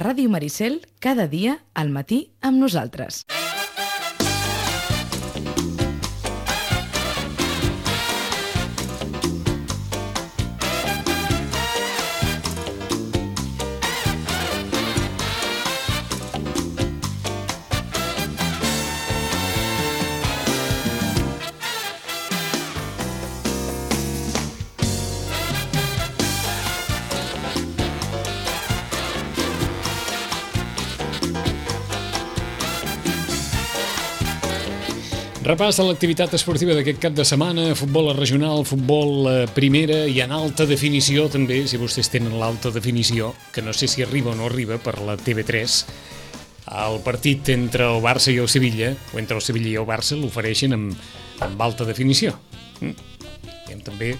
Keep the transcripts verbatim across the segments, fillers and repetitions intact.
Ràdio Maricel, cada dia al matí amb nosaltres. Repàs de l'activitat esportiva d'aquest cap de setmana, futbol regional, futbol eh, primera i en alta definició també, si vostès tenen l'alta definició, que no sé si arriba o no arriba per la T V tres, el partit entre el Barça i el Sevilla, o entre el Sevilla i el Barça, l'ofereixen amb, amb alta definició. Mm. I hem també,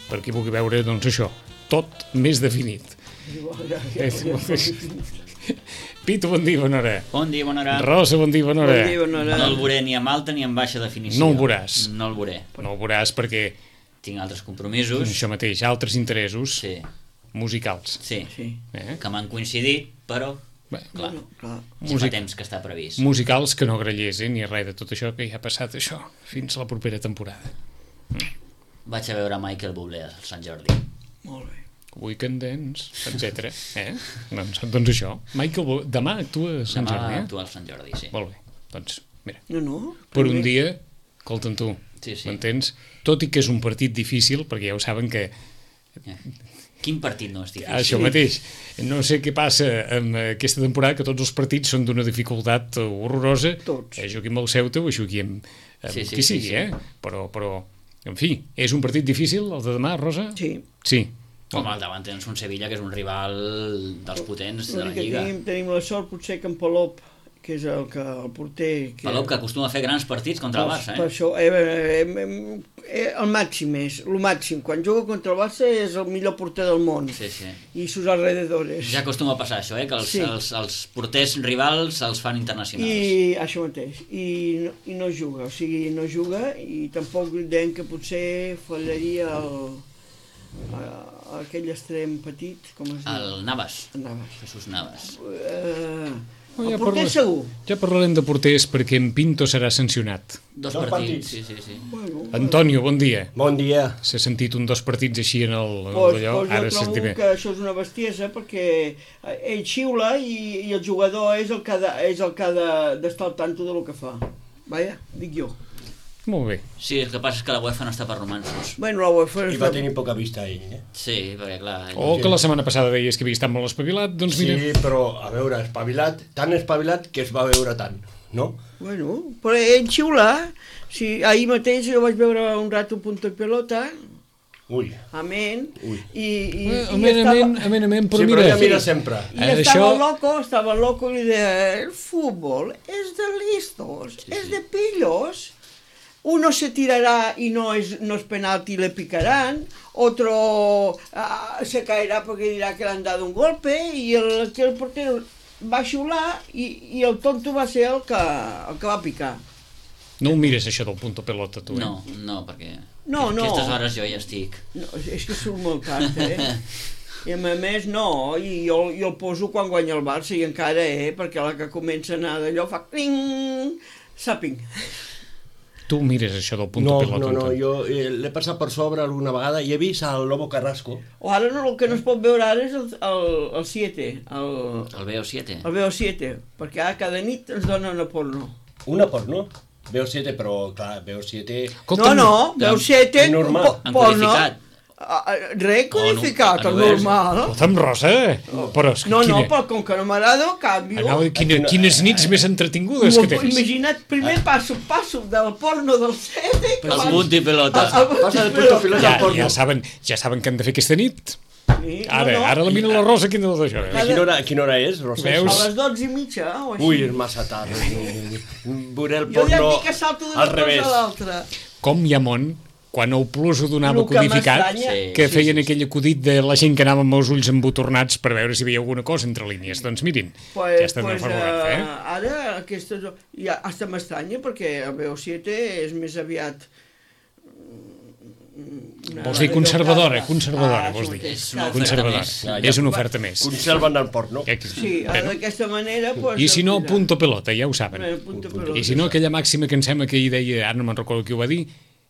per qui vulgui veure, doncs això, tot més definit. Pitu, bon dia, bona hora. Bon dia, bona hora. Rosa, bon dia, bona hora. Bon dia, bona hora. No el veuré ni amb alta ni amb baixa definició. No el veuràs. No el veuré. No el veuràs perquè... Tinc altres compromisos. Això mateix, altres interessos Sí. musicals. Sí. Sí. Eh? Que m'han coincidit, però... Bé, Clar, Bueno, clar. ja Músic- fa temps que està previst. musicals que no grallés, eh? Ni res de tot això que ja ha passat, això, fins a la propera temporada. Vaig a veure Michael Bublé al Sant Jordi. Molt bé. Weekend Dance, etcètera. Eh? doncs, doncs això. Michael, Bo- demà actua a Sant Demà Jordi, eh? actua al Sant Jordi, sí. Molt bé. Doncs, mira, No, no. per un també. dia, escolta'm tu, Sí, sí. m'entens? Tot i que és un partit difícil, perquè ja ho saben que Eh. Quin partit no és difícil? això mateix, no sé què passa amb aquesta temporada, que tots els partits són d'una dificultat horrorosa, Tots. eh, jugui amb el Ceuta o jugui amb, amb Sí, sí, qui sí, sigui, sí. eh? Però, però, en fi, és un partit difícil, el de demà, Rosa? Sí. Sí. Com al davant tens un Sevilla, que és un rival dels potents de la L'únic que Lliga. tenim, tenim la sort potser que en Palop, que és el, que, el porter... Que, Palop, que acostuma a fer grans partits contra el per, Barça, per eh? això, eh, eh, eh, eh, el màxim és, el màxim. Quan juga contra el Barça és el millor porter del món. Sí, sí. I sus alrededores. Ja acostuma a passar això, eh? Que els, Sí. els, els porters rivals els fan internacionals. I això mateix, I no, i no juga, o sigui, no juga i tampoc deien que potser fallaria el, a, aquell extrem petit, com es diu? El Navas, Navas. Jesús Navas. Uh, Oh, el ja porter parla- segur. Ja parlarem de porters perquè en Pinto serà sancionat. Dos, Dos partits. partits. Sí, sí, sí. Bueno, Antonio, bon dia. Bon dia. S'ha sentit un dos partits així en el, en Pues, el d'allò, pues ara jo trobo sentim bé. que això és una bestiesa perquè ell xiula i, i el jugador és el que ha de- és el que ha de- d'estar al tanto del que fa. Vaja, dic jo. Molt bé. Sí, el que passa és que la UEFA no està per romansos. Bueno, la UEFA I és va de- tenir poca vista ell, eh? Sí, perquè clar... O que la setmana passada deies que havia estat molt espavilat, doncs mira... Sí, però, a veure, espavilat, tan espavilat que es va veure tant, no? Bueno, però ell xiula. Sí, ahir mateix jo vaig veure un rato Punto i Pelota, Ui. amén, Ui. i, i, Eh, i Amén, estava... amén, amén, amén, però Sí, però mira... ja mira sempre. I Eh, estava això- loco, estava loco i li deia, el fútbol es de listos, Sí, es sí. de pillos. Uno se tirará y no es, no es penalti y le picarán, otro ah, se caerá porque dirá que le han dado un golpe y el, que el portero va a xiular i, i el tonto va ser el que, el que va picar. No ho mires, això del punto pelota, tu, eh? No, no, perquè... No, a no. aquestes hores jo ja estic. No, és que surt molt tard, eh? I a més, no, i jo, jo el poso quan guanya el Barça i encara, eh? Perquè la que comença a anar d'allò fa cling, sàping. Tu mires això del punto No, pelota, no, no, Antoni. jo eh, l'he passat per sobre alguna vegada i he vist el Lobo Carrasco. O ara no, el que no es pot veure ara és el, el, el siete, el, El B O siete. el B O siete, perquè ara cada nit ens donen una porno. Una porno. B O siete, però clar, B O siete... Escolta'm, no, no, B O siete, normal. po- Han porno. codificat. Ah, ah, Res codificat, no, el no és. normal. Escolta'm, Rosa, però és que No, no, quina... però com que no m'agrada, canvio. Anava, quina, quines nits més entretingudes que tens. Imagina't, primer passo, passo del porno del sete... que El abans- punt i pelota. el- el- Passa del punto pelota Ja, al porno. ja, saben, ja saben què han de fer aquesta nit. Sí, Ara, no, no. ara la mira la Rosa, quina de això. A quina hora, a quina hora és, Rosa? Veus? A les dotze i mitja, o així. Ui, és massa tard. Veuré el Jo ja porno dic que salto d'una al cosa revés. a l'altra. Com hi ha món, quan el Plus ho donava Lo que codificat, m'estranya- Sí. que feien aquell acudit de la gent que anava amb els ulls embotornats per veure si hi havia alguna cosa entre línies. Doncs mirin, Pues, ja estan pues, a favorat, eh, eh? ara aquesta... Ja, hasta m'estranya perquè el B O siete és més aviat mm, Una Vols dir radio conservadora, cada- conservadora, Ah, vols sí, dir. És una oferta Conservadora. més. Ja, ja. És una oferta més. Conserven el port, no? Eh, Sí, bueno, d'aquesta manera... Pues, I si no, mira, punto pelota, ja ho saben. bueno, punto pelota. I si no, aquella màxima que em sembla que ahir deia, ara no me'n recordo qui ho va dir,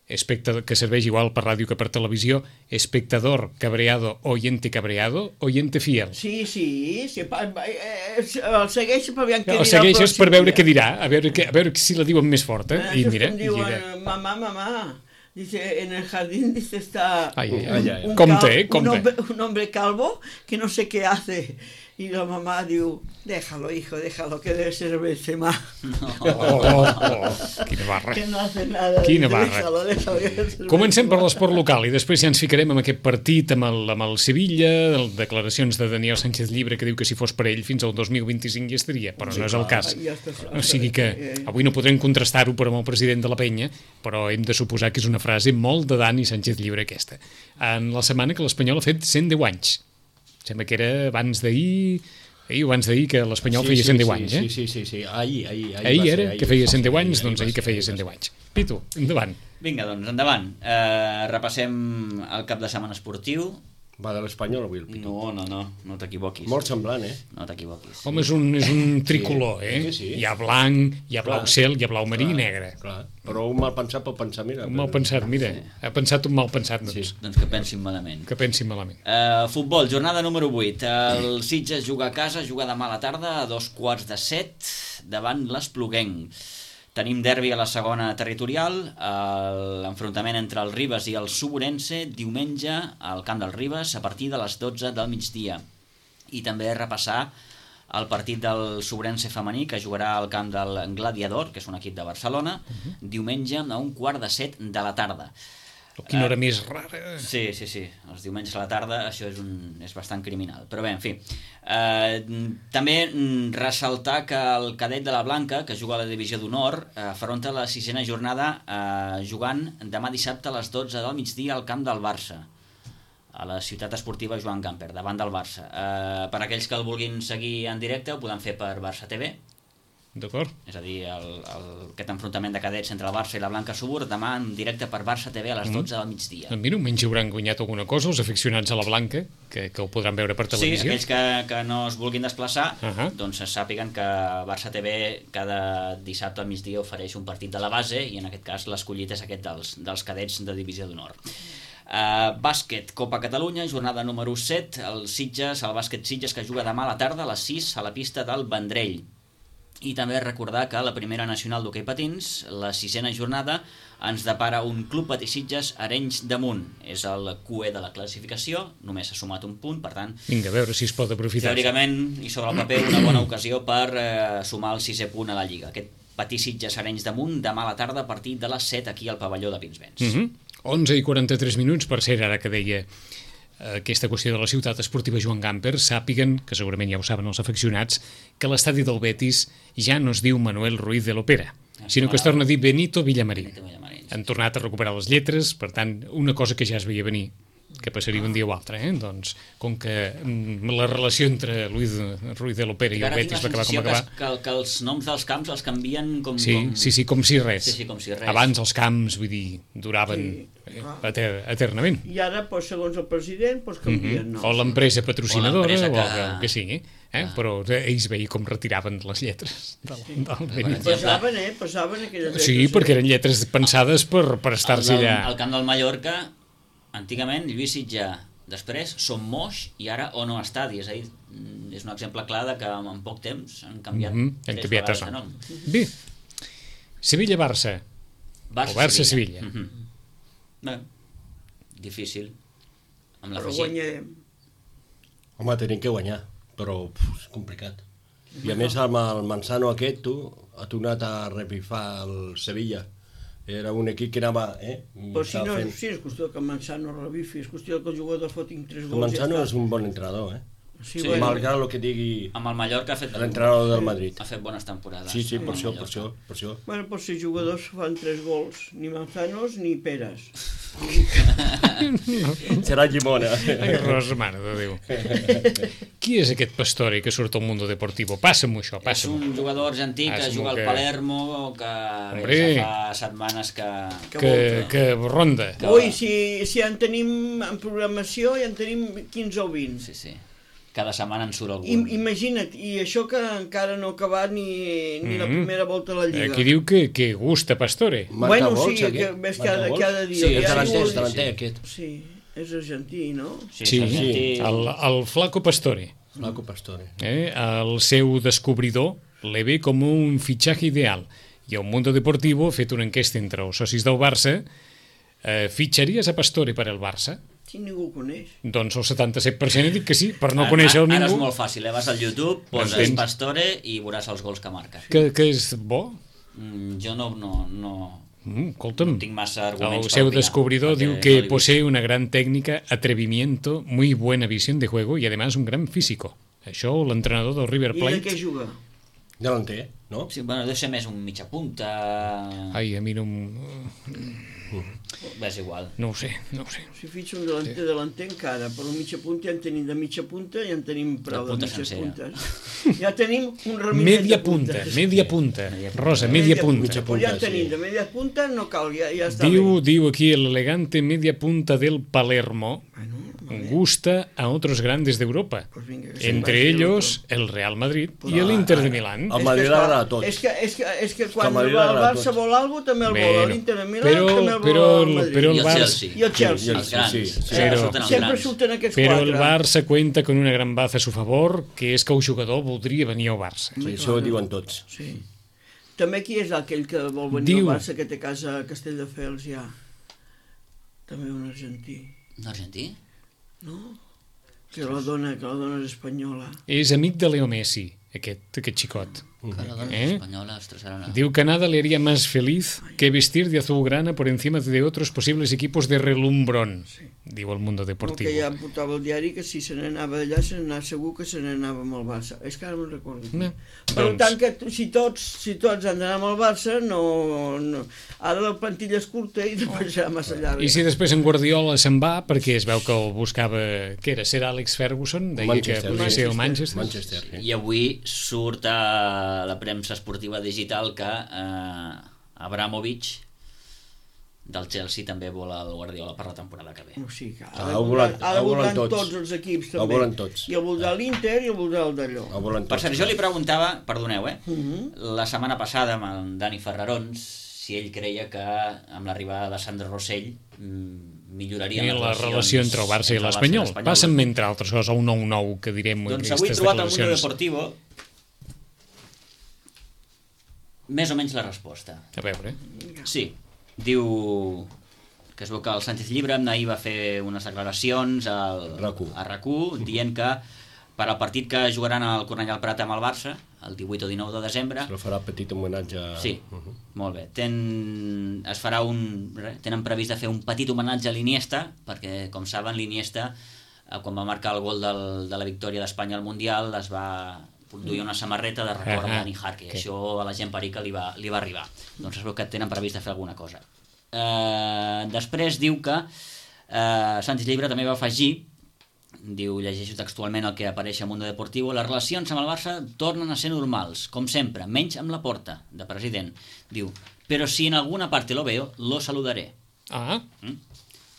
espectador, que serveix igual per ràdio que per televisió, espectador cabreado, oyente cabreado, oyente fiel. Sí, sí, sí pa, eh, el segueixo per veure què El dirà segueixes el per pròxim veure dia. què dirà, a veure, que, a veure si la diuen més forta. Eh, I això és mira, com i diuen, dirà. mamá, mamá, dice, en el jardín dice está Ai, ai, ai, ai. un, Compte, cal- eh, compte. un, hombre, un hombre calvo que no sé qué hace. Y la mamá diu, déjalo, hijo, déjalo, que debe ser Benzema. Oh, oh, oh, quina barra. Que no hace nada. Quina dice, barra. Déjalo, déjalo, que debe ser Comencem per Benzema. l'esport local i després ja ens ficarem amb aquest partit amb el, amb el Sevilla, les declaracions de Daniel Sánchez Llibre que diu que si fos per ell fins al dos mil vint-i-cinc hi estaria, però no és el cas. Ja està, O sigui que eh, avui no podrem contrastar-ho però amb el president de la penya, però hem de suposar que és una frase molt de Dani Sánchez Llibre aquesta. En la setmana que l'Espanyol ha fet cent deu anys. Sembla que era abans d'ahir... Ahir o abans d'ahir que l'Espanyol feia cent deu anys, eh? Sí, sí, sí, sí. Ahir, ahir, ahir, Ahir va ser, era ahir. que feia cent deu Sí, anys, doncs va ahir que ser, feia ahir cent va deu ser. anys. Pitu, endavant. Vinga, doncs, endavant. Uh, repassem el cap de setmana esportiu. Va de l'Espanyol avui el Pitu. No, no, no, no t'equivoquis. Molt semblant, eh? No t'equivoquis. Home, és un, és un tricolor, Sí, eh? sí, sí. Hi ha blanc, hi ha blau Clar. cel, hi ha blau marí i negre. Clar, però un mal pensat pot pensar, mira... Un mal pensat, mira, ha pensat un mal pensat, doncs, Sí. Doncs que pensin malament. que pensi malament. Uh, futbol, jornada número vuit. El Sitges juga a casa, juga demà a la tarda a dos quarts de set davant l'Espluguenc. Tenim derbi a la segona territorial, l'enfrontament entre el Ribes i el Suburense diumenge al camp del Ribes a partir de les dotze del migdia. I també repassar el partit del Suburense femení que jugarà al camp del Gladiador, que és un equip de Barcelona, diumenge a un quart de set de la tarda. Quina hora més rara. Sí, sí, sí. Els diumenges a la tarda això és, un, és bastant criminal. Però bé, en fi. Eh, també mm, ressaltar que el cadet de la Blanca, que juga a la divisió d'honor, eh, afronta la sisena jornada eh, jugant demà dissabte a les dotze del migdia al camp del Barça, a la ciutat esportiva Joan Gamper, davant del Barça. Eh, per aquells que el vulguin seguir en directe, ho poden fer per Barça T V. D'acord? És a dir, el, el, aquest enfrontament de cadets entre el Barça i la Blanca Subur demà en directe per Barça T V a les dotze del migdia. Doncs mira, almenys hauran guanyat alguna cosa els aficionats a la Blanca, que, que ho podran veure per Sí, televisió. aquells que, que no es vulguin desplaçar, Uh -huh. doncs sàpiguen que Barça T V cada dissabte al migdia ofereix un partit de la base i en aquest cas l'escollit és aquest dels, dels cadets de divisió d'honor. Uh, bàsquet, Copa Catalunya, jornada número set, el Sitges, el bàsquet Sitges que juga demà a la tarda a les sis a la pista del Vendrell. I també recordar que a la primera nacional d'hoquei patins, la sisena jornada, ens depara un Club Patí Sitges Arenys de Munt. És el Q E de la classificació, només s'ha sumat un punt, per tant, Vinga, a veure si es pot aprofitar. teòricament, i sobre el paper, una bona ocasió per eh, sumar el sisè punt a la Lliga. Aquest Patí Sitges Arenys de Munt, demà a la tarda a partir de les set aquí al pavelló de Pinsbens. Uh -huh. onze i quaranta-tres minuts, per ser ara que deia aquesta qüestió de la ciutat esportiva Joan Gamper, sàpiguen, que segurament ja ho saben els afeccionats, que l'estadi del Betis ja no es diu Manuel Ruiz de l'Opera, sinó que es torna a dir Benito Villamarín. Benito Villamarín. Han tornat a recuperar les lletres, per tant, una cosa que ja es veia venir, que passaria un dia o altre, eh? Doncs, com que mm, la relació entre Luis Ruiz de l'Opera i el Ara tinc Betis la va acabar com sensació va que, acabar. que, que els noms dels camps els canvien com... Sí, com... sí, sí, com si res. Sí, sí, com si res. Abans els camps, vull dir, duraven Sí, eh, clar. eter eternament. I ara, pues, segons el president, pues, canvien Mm noms. -hmm. O l'empresa patrocinadora, o, l'empresa que... que- el que sigui. Eh? Ah. Però ells veien com retiraven les lletres del, del Benito. Passaven, eh? Passaven aquelles Sí, lletres, perquè eh? eren lletres pensades per, per El, estar-se del, allà. el camp del Mallorca, antigament, Lluís Sitjà, després Som Moix i ara Ono Estadi. És a dir, és un exemple clar de que en poc temps han canviat Mm -hmm. Han tres canviat vegades de de nom. nom. Bé, Sevilla-Barça. O Barça-Sevilla. Mhm. Bé, difícil. Amb Però l'afegit. guanyarem. Home, tenim que guanyar, però puf, és complicat. I a més amb el Manzano aquest, tu, ha tornat a repifar el Sevilla. Era un equip que anava... Eh, Però si estava no, fent- sí, és qüestió que Manzano rebifi, és qüestió que els jugadors fotin tres El gols. Manzano ja és està. un bon entrenador, eh? Sí, Sí, bueno, Malgrat el que digui Amb el Mallorca ha fet, l'entrenador del Madrid. ha fet bones temporades. Sí, sí, amb per el això, per Mallorca. això, per això. bueno, pues si jugadors fan tres gols, ni Manzanos ni Peres. Serà llimona. Ai, Rosa, mare de Déu. Qui és aquest Pastore que surt al Mundo Deportivo? Passa-m'ho això, És passa-m'ho. un jugador argentí que Passa-m'ho juga al que- Palermo, que Hombre. bé, ja fa setmanes que... Que, que ronda. Que- Ui, si, si ja en tenim en programació, ja en tenim quinze o vint. Sí, sí. Cada setmana en surt algun. I, imagina't, i això que encara no ha acabat ni, ni la Mhm. primera volta a la Lliga. Aquí diu que, que gusta Pastore. Marca Bueno, gols, sí, aquest? que ves Marca cada- gols? cada dia. Sí, Ja és davanter, gols, és davanter, sí. aquest. Sí, és argentí, no? Sí, Sí, és argentí. el, el Flaco Pastore. Flaco Pastore. Eh? El seu descobridor le ve com un fitxatge ideal. I el Mundo Deportivo ha fet una enquesta entre els socis del Barça. Eh, fitxaries a Pastore per al Barça? Si ningú ho coneix. Doncs el setanta-set per cent ha dit que sí, per no Ara- conèixer-lo Ara és ningú. molt fàcil, eh? Vas al YouTube, poses M'entens? Pastore i veuràs els gols que marca. Que, que és bo? Mm, jo no, no, no, Mm, escolta'm, no tinc massa el arguments per seu opinar, descubridor perquè diu no que l'he vist. posee una gran técnica, atrevimiento, muy buena visión de juego y además un gran físico. Això l'entrenador del River I de què Plate... juga? Delanter, no? Sí, bueno, deu ser més un mitja punta... Ai, a mi no... em- Bé, és igual. No ho sé, no ho sé. Si fitxa un delanter, delanter encara, però un mitja punta ja en tenim de mitja punta, ja en tenim prou de punta mitges sencera. puntes. Ja tenim un raminet Media de punta, puntes. media punta. Media punta. Rosa, media punta. Mitja Pues ja en punta, tenim, sí. de media punta no cal, ja, ja està Diu, bé. diu aquí el elegante media punta del Palermo gusta a otros grandes de Europa, Pues vinga, que se'n entre vagi ellos el Real Madrid y el Inter de Milán. El És Madrid que, esclar, agrada a tots. És que, és que, és que quan el Madrid va el agrada a Barça tots. vol alguna cosa, també el vol. Bueno, L'Inter de Milán però- també el vol però el el- Madrid. però el I el Barça- Chelsea. I el Chelsea. Els grans. Sí, sí. Sempre Però- surten els Sempre grans. surten aquests Però quatre. el Barça cuenta con una gran baza a su favor, que és que el jugador voldria venir al Barça. Sí, això ho diuen tots. Sí. També qui és aquell que vol venir Diu- al Barça, que té casa a Castelldefels ja? També un argentí. Un argentí? No? Que la dona, que la dona és espanyola. És amic de Leo Messi, aquest, aquest xicot. Que la dona Eh? espanyola, ostres, ara no. Diu que nada le haría más feliz que vestir de azulgrana por encima de otros posibles equipos de relumbrón, diu el Mundo No, Deportivo. que ja portava el diari que si se n'anava d'allà, se n'anava segur que se n'anava amb el Barça. És que ara me'n recordo. No. Per Doncs- tant, que t- si tots, si tots han d'anar amb el Barça, no, no... ara la plantilla és curta i després serà massa llarga. I si després en Guardiola se'n va, perquè es veu que el buscava, què era, ser Alex Ferguson? Deia Manchester. que podria ser el Manchester. Manchester. Manchester, sí. I avui surt a la premsa esportiva digital que eh, Abramovich del Chelsea també vol el Guardiola per la temporada que ve. O sigui, que Ah, ara ho voldran, volen- ara ho volen voldran tots. tots els equips Ho també. volen tots. I el voldrà l'Inter i el voldrà el d'allò. El volen Per tots. cert, jo li preguntava, perdoneu, eh, Mhm. la setmana passada amb en Dani Ferrarons si ell creia que amb l'arribada de Sandro Rossell mm, millorarien I les la relacions relació entre el Barça i entre el l'Espanyol. l'Espanyol. Passa'm, entre altres coses, a un nou nou que direm Doncs avui he aquestes trobat al Mundo declaracions. Deportivo més o menys la resposta. A veure, Sí, diu que es veu que el Sánchez Llibre ahir va fer unes declaracions al, RAC1. a RAC u dient que per al partit que jugaran al Cornellà al Prat amb el Barça, el divuit o dinou de desembre, Se li farà petit homenatge. a- sí, Mhm. molt bé, Ten, es farà un, re, tenen previst de fer un petit homenatge a l'Iniesta, perquè com saben l'Iniesta eh, quan va marcar el gol del, de la victòria d'Espanya al Mundial es va duia una samarreta de record Ah, ah, a Dani Jarque, que- això a la gent perica li va, li va arribar, doncs es veu que tenen previst de fer alguna cosa. Eh, després diu que eh, Sánchez Llibre també va afegir, diu, llegeixo textualment el que apareix a Mundo Deportivo, les relacions amb el Barça tornen a ser normals, com sempre, menys amb la Porta, de president. Diu, però si en alguna parte lo veo, lo saludaré. ah, Mm?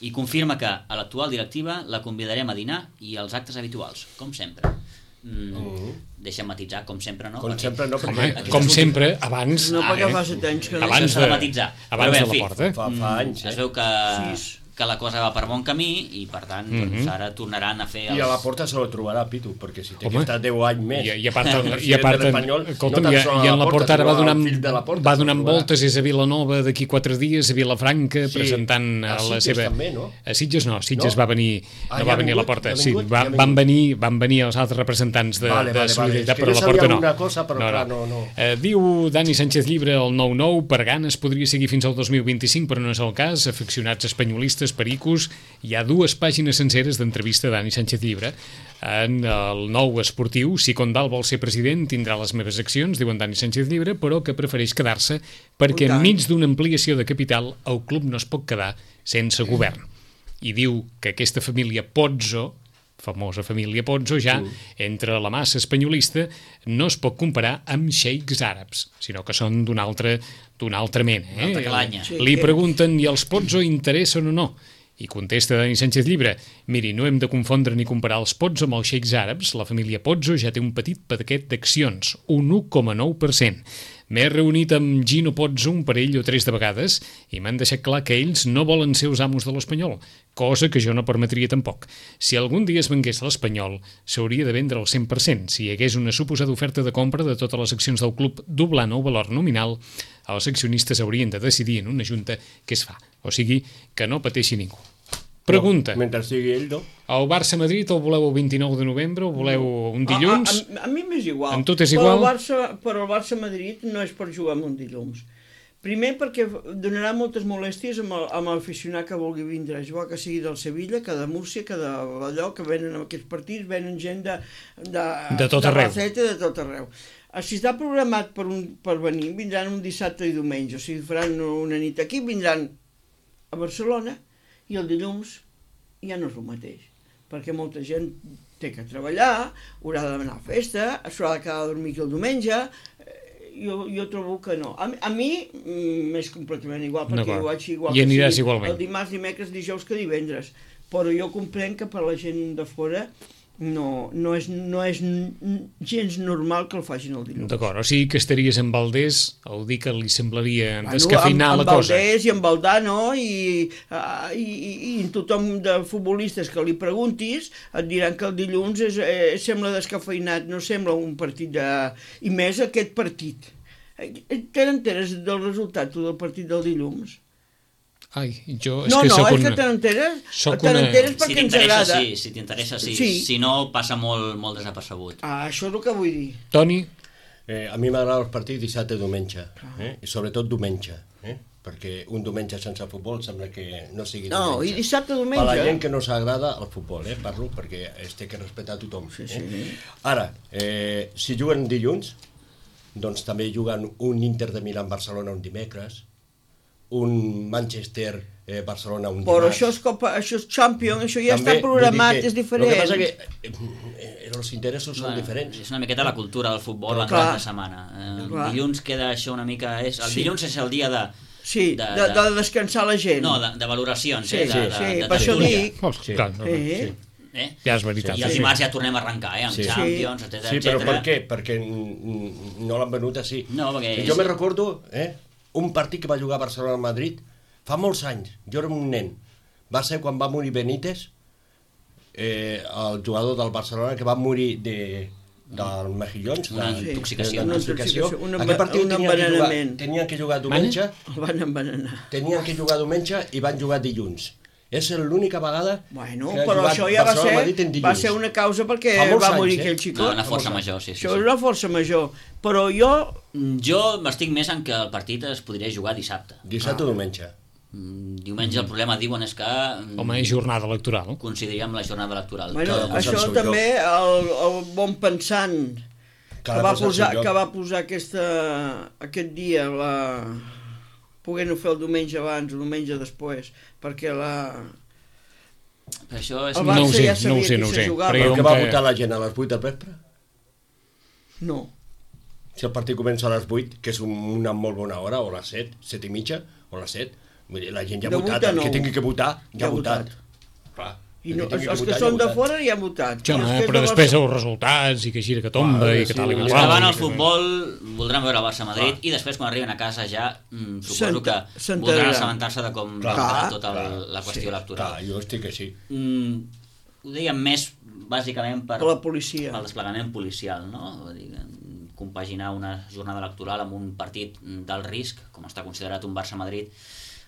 I confirma que a l'actual directiva la convidarem a dinar i als actes habituals, com sempre. Mm, Mhm. Deixa'm matitzar, com sempre no. Com perquè- sempre no, home, perquè... com sempre, abans... No, perquè eh, fa set anys que no. abans Això s'ha de de, matitzar. abans Però bé, de en fi, la porta. Fa, fa anys, Es eh? veu que, Sis. que la cosa va per bon camí i per tant doncs, ara tornaran a fer els... I a la porta se lo trobarà, Pitu, perquè si té Home. que estar deu anys més... I, i a part, el i a president part de l'Espanyol, escolta'm, no i, tan sols i a en la porta ara va sinó al donant, fill de la Porta va se lo donant trobarà. voltes, és a Vilanova d'aquí quatre dies, a Vilafranca, Sí. presentant A a la Sitges seva... també, no? A Sitges no, Sitges No? va venir, Ah, no ja va ha venir a la vingut? porta, Ja ha sí, vingut? va, Ja ha van, vingut. venir, van venir els altres representants de, Vale, de vale, vale. Solidaritat, És que però jo la porta sabia no. alguna cosa, però clar, no, no. Eh, diu Dani Sánchez Llibre, el nou nou, per ganes podria seguir fins al dos mil vint-i-cinc, però no és el cas. Aficionats espanyolistes periodistes, pericos, hi ha dues pàgines senceres d'entrevista a Dani Sánchez Llibre en el nou esportiu. Si Condal vol ser president, tindrà les meves accions, diu en Dani Sánchez Llibre, però que prefereix quedar-se perquè enmig d'una ampliació de capital el club no es pot quedar sense govern. I diu que aquesta família Pozzo, famosa família Pozzo, ja entre la massa espanyolista, no es pot comparar amb xeics àrabs, sinó que són d'una altra, d'una altra mena. Eh? Una altra calanya. Li pregunten, i els Pozzo interessen o no? I contesta Dani Sánchez Llibre, miri, no hem de confondre ni comparar els Pozzo amb els xeics àrabs. La família Pozzo ja té un petit paquet d'accions, un u coma nou per cent. M'he reunit amb Gino Pozzo un parell o tres de vegades i m'han deixat clar que ells no volen ser els amos de l'Espanyol, cosa que jo no permetria tampoc. Si algun dia es vengués l'Espanyol, s'hauria de vendre al cent per cent. Si hi hagués una suposada oferta de compra de totes les accions del club doblant el valor nominal, els accionistes haurien de decidir en una junta què es fa. O sigui, que no pateixi ningú. Pregunta. No, mentre sigui ell, no? El Barça-Madrid el voleu el vint-i-nou de novembre o voleu un dilluns? A, a, a mi m'és igual. En tot és igual? Però el Barça, però el Barça-Madrid no és per jugar amb un dilluns. Primer perquè donarà moltes molèsties amb l'aficionat que vulgui vindre a jugar, que sigui del Sevilla, que de Múrcia, que d'allò, que venen en aquests partits, venen gent de... De, de tot arreu. De de tot arreu. Si està programat per, un, per venir, vindran un dissabte i diumenge. O sigui, faran una nit aquí, vindran a Barcelona, i el dilluns ja no és el mateix, perquè molta gent té que treballar, haurà d'anar a festa, s'haurà de quedar a dormir el diumenge. Jo, jo trobo que no. A, a mi m'és completament igual, perquè jo vaig igual I aniràs que sigui igualment. el dimarts, dimecres, dijous que divendres. Però jo comprenc que per la gent de fora no, no, és, no és gens normal que el facin el dilluns. D'acord, o sigui que estaries amb Valdés, el dir que li semblaria descafeinar bueno, amb, la cosa. Amb Valdés i amb Valdano i, uh, i, i, i tothom de futbolistes que li preguntis et diran que el dilluns és, eh, sembla descafeinat, no sembla un partit de... I més aquest partit. Te n'enteres del resultat tu del partit del dilluns? Ai, jo és no, que no, soc és una... que te n'enteres, Soc te n'enteres una... perquè si ens agrada. Sí, si t'interessa, sí. Sí. Si no, passa molt, molt desapercebut. Ah, això és el que vull dir. Toni? Eh, a mi m'agrada els partits dissabte i diumenge, eh? I sobretot diumenge, eh? Perquè un diumenge sense futbol sembla que no sigui diumenge. No, i dissabte diumenge... Per la gent que no s'agrada el futbol, eh? Parlo, perquè es té que respectar tothom. Sí, eh? sí. Ara, eh, si juguen dilluns, doncs també juguen un Inter de Milà-Barcelona un dimecres, un Manchester eh, Barcelona un Però dimarts. això és, Copa, això és Champions, això ja També, està programat, que, és diferent. El que passa que eh, eh, els interessos són diferents. És una miqueta la cultura del futbol en Clar. cada setmana. El Clar. dilluns queda això una mica... És, el Sí. dilluns és el dia de... Sí, de, de, de descansar la gent. No, de, de valoracions, Sí, eh? De, sí, de, sí, de per això tertúlia. dic. Oh, clar, no, no. Sí. Sí. Eh? Ja és veritat. I el sí. dimarts ja tornem a arrencar, eh? Amb Sí. Champions, etcètera, Sí, però etcètera. per què? Perquè mm, no l'han venut així. No, perquè... Jo me recordo eh, un partit que va jugar a Barcelona-Madrid fa molts anys. Jo era un nen. Va ser quan va morir Benítez, eh, el jugador del Barcelona, que va morir de, del Mejillons, Una de, intoxicació. de, Una intoxicació. intoxicació, un Aquest partit un tenien que, jugar, envenenament. tenien que jugar diumenge, El van envenenar. tenien que jugar diumenge i van jugar dilluns. És l'única vegada Bueno, que ha però jugat això ja va Barcelona-Madrid en ser, dilluns. va ser una causa perquè Fa molts va anys, morir eh? aquell No, xicot. una força major, sí, sí. Això sí. és una força major. Però jo... Jo m'estic més en que el partit es podria jugar dissabte. Dissabte o diumenge. Mm, Diumenge el problema, diuen, és que... mm, Home, és jornada electoral. coincidiria amb la jornada electoral. Bueno, Cada cosa això en seu també, el, el bon pensant que Cada va, cosa en posar, seu lloc. que va posar aquesta, aquest dia, la... poguent-ho fer el diumenge abans o diumenge després, perquè la... Per això és... El No ho Barça sé, ja no ho sabia sé, qui no ho se sé. jugava. Però Però jo que va que- votar la gent a les vuit del vespre? No. Si el partit comença a les vuit, que és un, una molt bona hora, o a les set, set i mitja, o a les set, vull dir, la gent ja ha De votat, vuit a el que nou. tingui que votar, ja, Ja ha ha votat. votat. Clar, I el no, tingui els que votar, ja ha són de votat. fora ja han votat. Sí, home, Els que és però de després Barça- els resultats i que gira que tomba Clar, i que sí, tal i sí, que sí. qual. Estaven i al que- futbol, voldran veure el Barça-Madrid i després quan arriben a casa ja mm, suposo que S'ent- s'enteraran. voldran assabentar-se de com Clar, va clar, tota el, clar, la qüestió sí, electoral. Clar, jo estic així. Mm, ho dèiem més bàsicament per, Per la policia. pel desplegament policial, no? Vull dir, compaginar una jornada electoral amb un partit d'alt risc, com està considerat un Barça-Madrid.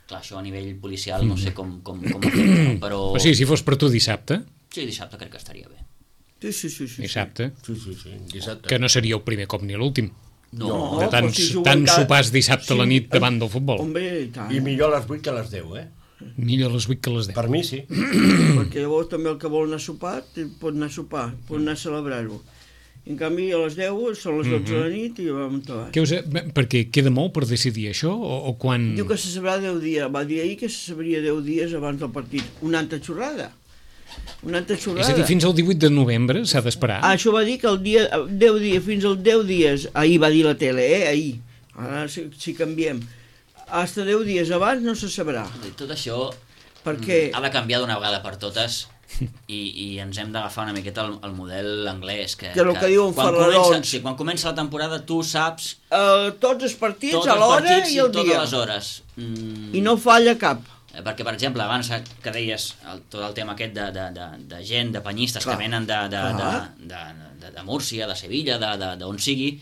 Clar, això a nivell policial no sé com, com, com ho fem, no? Però... O sigui, si fos per tu dissabte, Sí, dissabte crec que estaria bé. Sí, sí, sí. sí. dissabte, Sí, sí, sí, dissabte. que no seria el primer cop ni l'últim. No, No, De però tants, si juguen tants cada- sopars dissabte a la Sí, nit davant del futbol. Hombre, i tant. I millor a les vuit que a les deu, eh? Millor a les vuit que a les deu. Per mi sí. Perquè llavors també el que vol anar a sopar pot anar a sopar, pot anar a celebrar-ho. En canvi, a les deu són les dotze de la nit i vam acabar. Què us, perquè queda molt per decidir això? O, o quan... Diu que se sabrà deu dies. Va dir ahir que se sabria deu dies abans del partit. Una altra xorrada. Una altra xorrada. És a dir, fins al divuit de novembre s'ha d'esperar? Ah, això va dir que el dia, deu dies, fins al deu dies, ahir va dir la tele, eh, ahir, ara si, si canviem, hasta deu dies abans no se sabrà. Tot això Perquè... ha de canviar d'una vegada per totes i, i ens hem d'agafar una miqueta el, el model anglès. Que, Que el que diuen quan Ferrarons. comença, sí, quan comença la temporada tu saps Uh, tots els partits tots a els l'hora partits i el totes dia. les hores. Mm, I no falla cap. Eh, perquè, per exemple, abans que deies el, tot el tema aquest de, de, de, de gent, de penyistes Clar. que venen de, de, de, Clar. de, de, de Múrcia, de Sevilla, de, de, d'on sigui,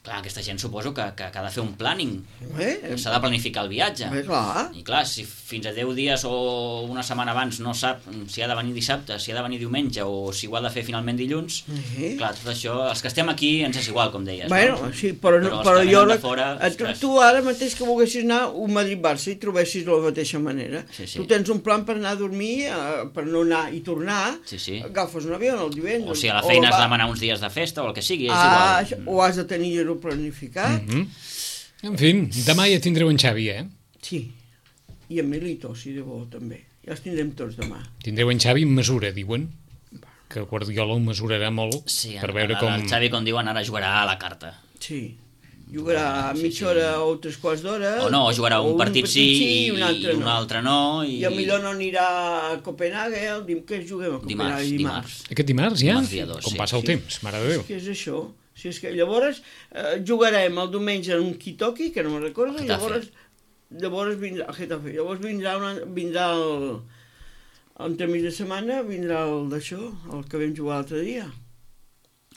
clar, aquesta gent suposo que, que, que ha de fer un planning, Eh? s'ha de planificar el viatge. Eh, clar. I clar, si fins a deu dies o una setmana abans no sap si ha de venir dissabte, si ha de venir diumenge o si ho ha de fer finalment dilluns, Eh? clar, tot això, els que estem aquí ens és igual, com deies. Bueno, no? sí, però, però, no, els però que jo... venen de rec- fora, eh, tu, ostres, tu ara mateix que volguessis anar a un Madrid-Barça i trobessis de la mateixa manera. Sí, sí. Tu tens un plan per anar a dormir, eh, per no anar i tornar, Sí, sí. agafes un avió el divendres. o si a la feina has va- de demanar uns dies de festa o el que sigui, és Ah, igual. o has de tenir-ho planificat. Mm -hmm. En fi, demà ja tindreu en Xavi, eh? Sí, i en Milito, si de bo, també. Ja els tindrem tots demà. Tindreu en Xavi en mesura, diuen. Que Guardiola ho mesurarà molt Sí, per el, veure el, com... el Xavi, com diuen, ara jugarà a la carta. Sí. Jugarà Sí, mitja sí. hora o tres quarts d'hora. O no, o jugarà un, o partit sí i un altre un no. altre no. I, I potser no anirà a Copenhague, el dim que juguem a Copenhague dimarts, dimarts. dimarts. Aquest dimarts ja? Dimarts dia dos, com sí. passa el Sí. temps, mare de Déu. Què és això? Si és que llavors eh, jugarem el diumenge en un Kitoki, que no me'n recordo, i Getafe. llavors, llavors vindrà, el Getafe, llavors vindrà, una, vindrà el, entre mig de setmana, vindrà el d'això, el que vam jugar l'altre dia.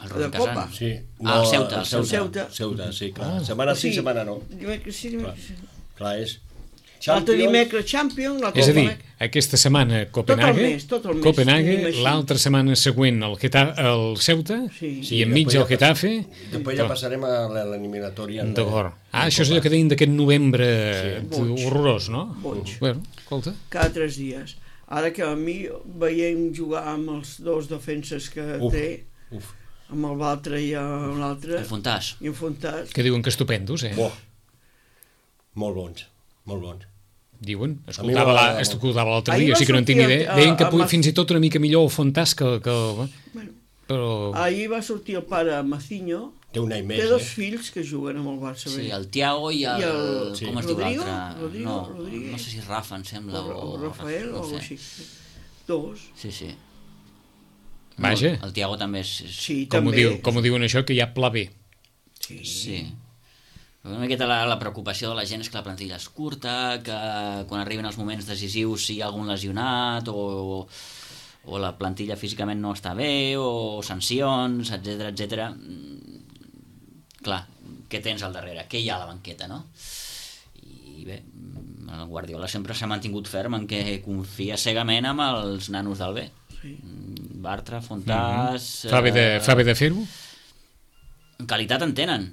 El de Rubén Copa. Casán. Sí. Ah, el Ceuta, el el Ceuta. Ceuta. Ceuta, sí, clar. Ah. Setmana O sí, sigui, setmana no. Dimecres sí, dimecres sí. Clar, és... L'altre Champions, dimecres Champions, l'altre És a dir, dimecres... aquesta setmana Copenhague, mes, tot el mes, Copenhague, tenim així. l'altra setmana següent el, Geta, el Ceuta, Sí. i enmig després el ja Getafe. Després ja passarem a l'eliminatòria. D'acord. Ah, això és allò que deien d'aquest novembre Sí. Boig. horrorós, no? Boig. Bueno, escolta. Cada tres dies. Ara que a mi veiem jugar amb els dos defenses que Uf. té, Uf, amb el Baltre i amb l'altre, El Fontàs. i en Fontàs, Que diuen que estupendos, eh? bo. Molt bons, molt bons. Diuen, A mi escoltava la- m'agrada escoltava l'altre Ahir dia, va així que no en tinc sortir idea. el- Deien que el- pu- el- fins i tot una mica millor el Fontàs que... que bueno, però... ahir va sortir el pare Macinho, Té un any més, té dos eh? fills que juguen amb el Barça. Sí, bé. el Tiago i el... I el- Sí. Com es diu Rodrigo? l'altre? Rodrigo? No, Rodríguez? no sé si Rafa, em sembla, o, o... o Rafael o no alguna sé. així. Dos. Sí, sí. Vaja. El Tiago també és... és... Sí, Com ho, també. diu, com ho diuen això, que hi ha pla B. Sí. Sí. Una miqueta la, la preocupació de la gent és que la plantilla és curta, que quan arriben els moments decisius si hi ha algun lesionat o, o la plantilla físicament no està bé o sancions, etcètera, etcètera. Mm, Clar, què tens al darrere? Què hi ha a la banqueta, no? I bé, el Guardiola sempre s'ha mantingut ferm en què confia cegament amb els nanos del B. Sí. Bartra, Fontàs... Fa bé de, eh, fa bé de fer-ho? qualitat en tenen,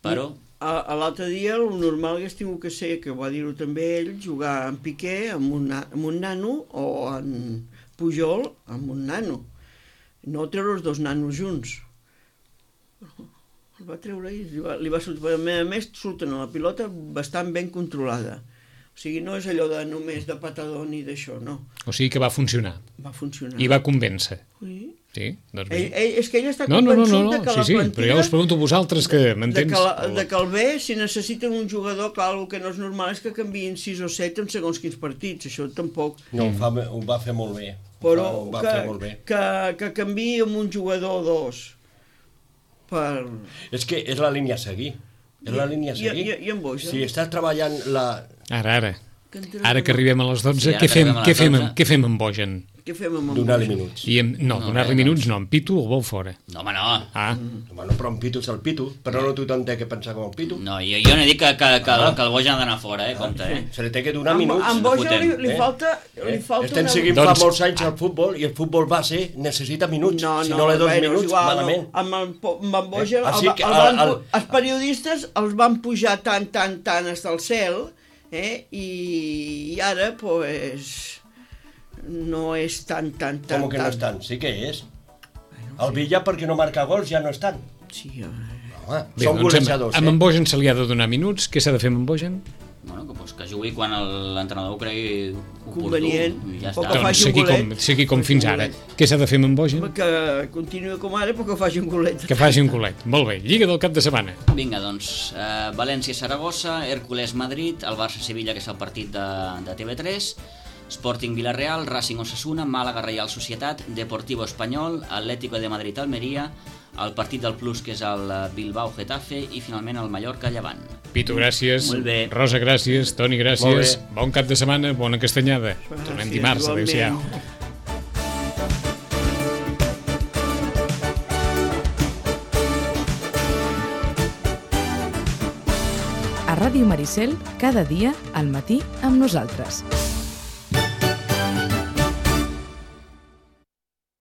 però... A, a l'altre dia el normal hagués tingut que ser, que va dir-ho també ell, jugar en Piqué amb un, na- amb un nano o en Pujol amb un nano. No treure els dos nanos junts. El va treure i li va, li va sortir. A més a més, surten a la pilota bastant ben controlada. O sigui, no és allò de només de patador ni d'això, no. O sigui que va funcionar. Va funcionar. I va convèncer. Sí. Sí, doncs Ell, bé. ell, és que ell està No, no, no, convençut no, de no. que sí, la sí, plantilla... però ja us pregunto a vosaltres que de m'entens. que, la, de que el B, si necessiten un jugador, clar, el que no és normal és que canviïn sis o set en segons quins partits, això tampoc. No, ho, fa, ho va fer molt bé. Però ho va que, fer molt bé. que, que canviï amb un jugador o dos per... És que és la línia a seguir. És la línia a I- seguir. i- i en Boja? Si estàs treballant la... Ara, ara. Que entenem Ara que arribem a les dotze, Sí, ara què que fem, arribem a què les fem, dotze. amb- què fem amb Bojan? Què fem amb en Donar-li Boja? minuts. I em, no, No, donar-li res, minuts doncs. no, en Pitu el vol fora. No, home, no. Ah, Bueno, però un pitu és el pitu, però no tothom té que pensar com el pitu. No, jo, jo no he dit que, que, que, Ah. que el Bojan ha d'anar fora, eh? Compte, eh? Se li té que donar Amb, minuts. amb Boja li, fotem, li eh? falta, li Eh? falta Estem una... seguint Doncs- fa molts anys el futbol i el futbol base necessita minuts. No, si no, no li dos bueno, és minuts, igual, malament. No. Amb, el, po- amb en Boja, Eh, el, així va- que el van, el- el- pu- els periodistes els van pujar tant, tant, tant fins al cel, eh? I, I ara, pues, no és tan, tan, tan... Com que no estan? Sí que és. El Villa, perquè no marca gols, ja no estan. Sí, home. Home, Bé, són doncs golejadors, amb, amb eh? en Bojan se li ha de donar minuts. Què s'ha de fer amb en Bojan? Bueno, que, pues, que jugui quan l'entrenador ho cregui oportú. Convenient. I ja Poc està. que Doncs faci un seguir com, golet. seguir com Faci fins un ara. golet. Què s'ha de fer amb en Bojan? Que continuï com ara, però que faci un golet. Que faci un golet. Molt bé. Lliga del cap de setmana. Vinga, doncs, eh, València-Saragossa, Hércules-Madrid, el Barça-Sevilla, que és el partit de, de T V tres, Sporting Villarreal, Racing Osasuna, Màlaga Reial Societat, Deportivo Espanyol, Atlético de Madrid-Almeria, el partit del Plus, que és el Bilbao-Getafe, i finalment el Mallorca-Llevant. Pitu, gràcies. Molt bé. Rosa, gràcies. Toni, gràcies. Bon cap de setmana, bona castanyada. Tornem dimarts. Adéu-siau. A Ràdio Maricel, cada dia al matí amb nosaltres.